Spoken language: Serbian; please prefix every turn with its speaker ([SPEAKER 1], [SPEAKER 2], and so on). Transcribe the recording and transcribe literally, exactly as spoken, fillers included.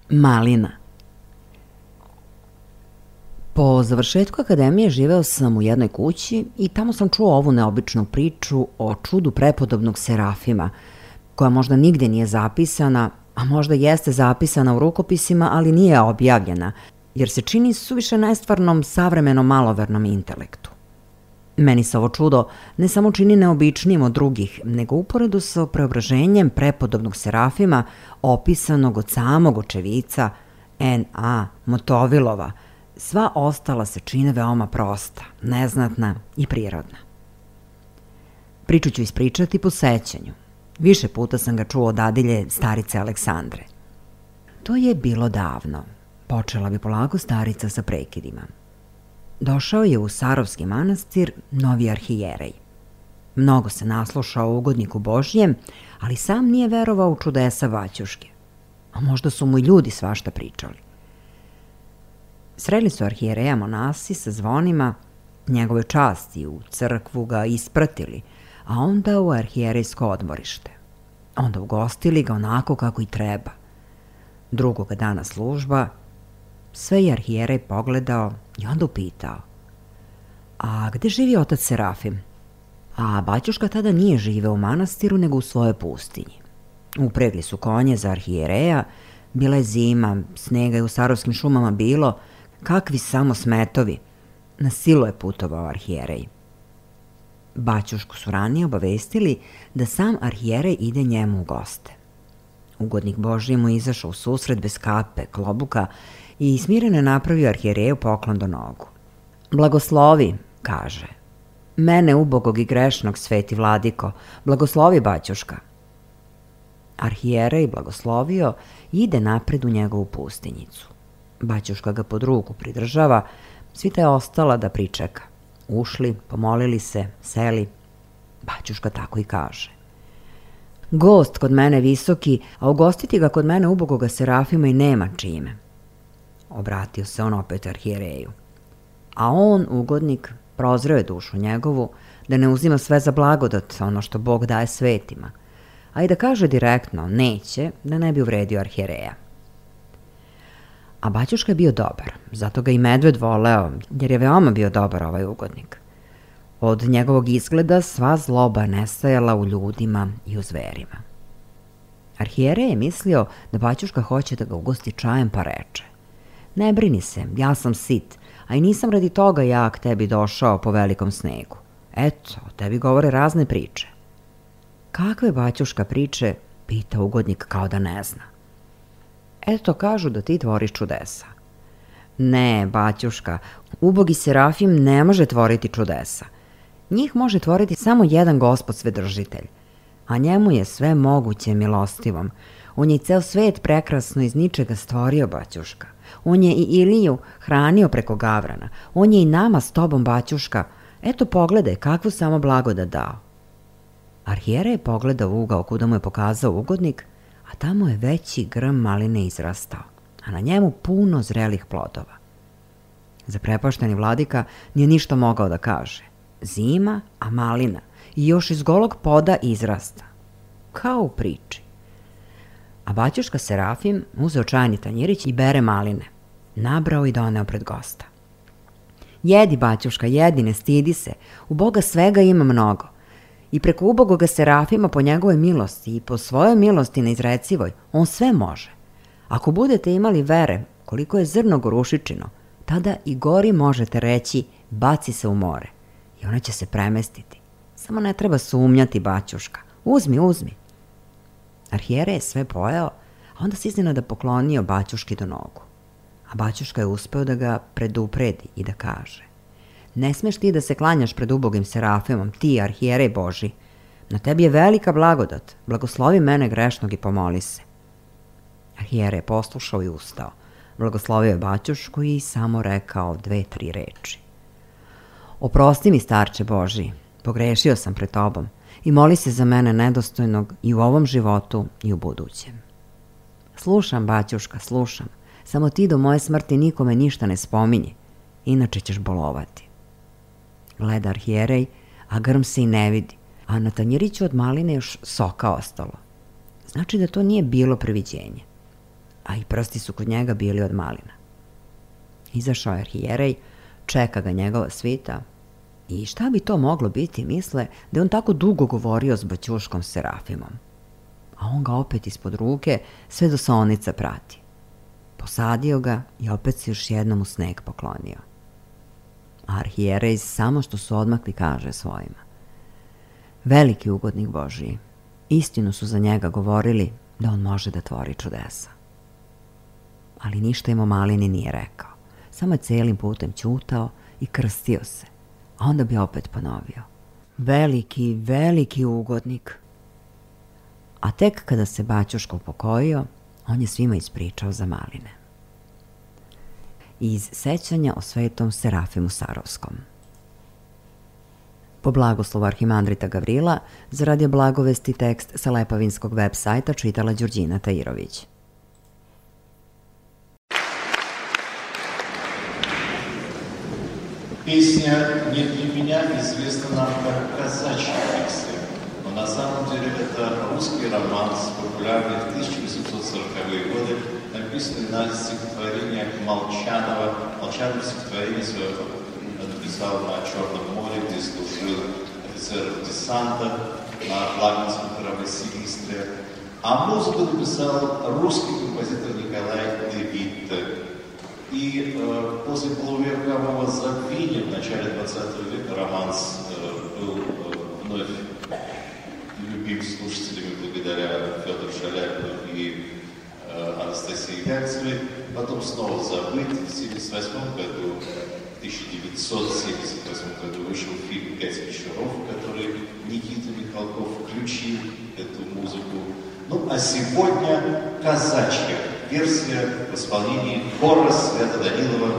[SPEAKER 1] Malina. Po završetku akademije živeo sam u jednoj kući i tamo sam čuo ovu neobičnu priču o čudu prepodobnog Serafima, koja možda nigde nije zapisana, a možda jeste zapisana u rukopisima, ali nije objavljena, jer se čini suviše nestvarnom savremenom malovernom intelektu. Meni se ovo čudo ne samo čini neobičnijim od drugih, nego uporedu sa preobraženjem prepodobnog Serafima opisanog od samog očevica N A Motovilova, sva ostala se čine veoma prosta, neznatna i prirodna. Priču ću ispričati po sećanju. Više puta sam ga čuo od dadilje starice Aleksandre. To je bilo davno. Počela bi polako starica sa prekidima. Došao je u Sarovski manastir novi arhijerej. Mnogo se naslušao o ugodniku Božjem, ali sam nije verovao u čudesa Baćuške. A možda su mu i ljudi svašta pričali. Sreli su arhijereja monasi sa zvonima, njegove časti u crkvu ga ispratili, a onda u arhijerejsko odmorište. Onda ugostili ga onako kako i treba. Drugoga dana služba, sve je arhijerej pogledao i onda upitao: a gde živi otac Serafim? A Baćuška tada nije živeo u manastiru, nego u svojoj pustinji. Upregli su konje za arhijereja, bila je zima, snega je u Sarovskim šumama bilo, kakvi samo smetovi. Na silu je putovao arhijerej. Baćušku su ranije obavestili da sam arhijerej ide njemu u goste. Ugodnik Božji mu izašao u susret bez kape, klobuka i smireno je napravio arhijereju poklon do nogu. Blagoslovi, kaže. Mene ubogog i grešnog, sveti vladiko, blagoslovi Baćuška. Arhijerej blagoslovio i ide napred u njegovu pustinjicu. Baćuška ga pod ruku pridržava, svita je ostala da pričeka. Ušli, pomolili se, seli. Baćuška tako i kaže: gost kod mene visoki, a ugostiti ga kod mene ubogoga Serafima i nema čime. Obratio se on opet arhijereju. A on, ugodnik, prozreo je dušu njegovu, da ne uzima sve za blagodat, ono što Bog daje svetima, a i da kaže direktno neće, da ne bi uvredio arhijereja. A Baćuška je bio dobar, zato ga i medved voleo, jer je veoma bio dobar ovaj ugodnik. Od njegovog izgleda sva zloba nestajala u ljudima i u zverima. Arhijerej je mislio da Baćuška hoće da ga ugosti čajem, pa reče: ne brini se, ja sam sit, a i nisam radi toga ja k tebi došao po velikom snegu. Eto, o tebi govore razne priče. Kakve Baćuška priče, pita ugodnik kao da ne zna. Eto, kažu da ti tvoriš čudesa. Ne, Baćuška, ubogi Serafim ne može tvoriti čudesa. Njih može tvoriti samo jedan Gospod Svedržitelj, a njemu je sve moguće milostivom. On je i ceo svet prekrasno iz ničega stvorio, Baćuška. On je i Iliju hranio preko gavrana. On je i nama s tobom, Baćuška. Eto, pogledaj kakvu samo blagodat dao. Arhijerej je pogledao u ugao kuda mu je pokazao ugodnik, a tamo je veći grm maline izrastao, a na njemu puno zrelih plodova. Zaprepašteni vladika nije ništa mogao da kaže. Zima, a malina, i još iz golog poda izrasta. Kao u priči. A Baćuška Serafim uzeo čajni tanjirić i bere maline. Nabrao i doneo pred gosta. Jedi, Baćuška, jedi, ne stidi se. U Boga svega ima mnogo. I preko ubogoga Serafima po njegovoj milosti i po svojoj milosti neizrecivoj, on sve može. Ako budete imali vere koliko je zrno gorušičino, tada i gori možete reći: baci se u more. I ona će se premestiti. Samo ne treba sumnjati, Baćuška. Uzmi, uzmi. Arhijerej je sve pojeo, a onda se iznenada poklonio Baćuški do nogu. A Baćuška je uspeo da ga predupredi i da kaže: ne smeš ti da se klanjaš pred ubogim Serafimom, ti, arhijerej Boži. Na tebi je velika blagodat. Blagoslovi mene grešnog i pomoli se. Arhijerej je poslušao i ustao. Blagoslovio je Baćušku i samo rekao dve, tri reči. Oprosti mi, starče Boži, pogrešio sam pred tobom i moli se za mene nedostojnog i u ovom životu i u budućem. Slušam, Baćuška, slušam. Samo ti do moje smrti nikome ništa ne spominji, inače ćeš bolovati. Gleda arhijerej, a grm se i ne vidi, a na tanjiriću od maline još soka ostalo. Znači da to nije bilo previđenje. a i prsti su kod njega bili od malina. Izašao je arhijerej, čeka ga njegova svita i šta bi to moglo biti, misle, da je on tako dugo govorio s Baćuškom Serafimom. A on ga opet ispod ruke sve do saonica prati. Posadio ga i opet se još jednom u sneg poklonio. A arhijerej samo što su odmakli kaže svojima: veliki ugodnik Božiji, istinu su za njega govorili da on može da tvori čudesa. Ali ništa im o malini nije rekao, samo je celim putem ćutao i krstio se, a onda bi opet ponovio: veliki, veliki ugodnik. A tek kada se Baćuško upokojio, on je svima ispričao za maline. Iz sećanja o svetom Serafimu Sarovskom. Po blagoslovu arhimandrita Gavrila, za Radio Blagovesti tekst sa lepavinskog web sajta čitala Đurđina Tajirović.
[SPEAKER 2] Песня «Не для меня» известна нам как казачья песня, но на самом деле это русский романс, популярный в тысяча восемьсот сороковые годы, написанный на стихотворение Молчанова. Молчанов стихотворение свое написал на Черном море, где служил офицером десанта на флагманском корабле «Силистрия». А музыку написал русский композитор Николай Левит. И э, после полувекового забвения в начале двадцатого века романс э, был э, вновь любим слушателями благодаря Федору Шаляпину и э, Анастасии Ярцевой. Потом снова забыт. В семьдесят восьмом году, в тысяча девятьсот семьдесят восьмом году вышел фильм «Пять вечеров», в который Никита Михалков включил эту музыку. Ну, а сегодня казачья версия в исполнении хора Свято-Данилова.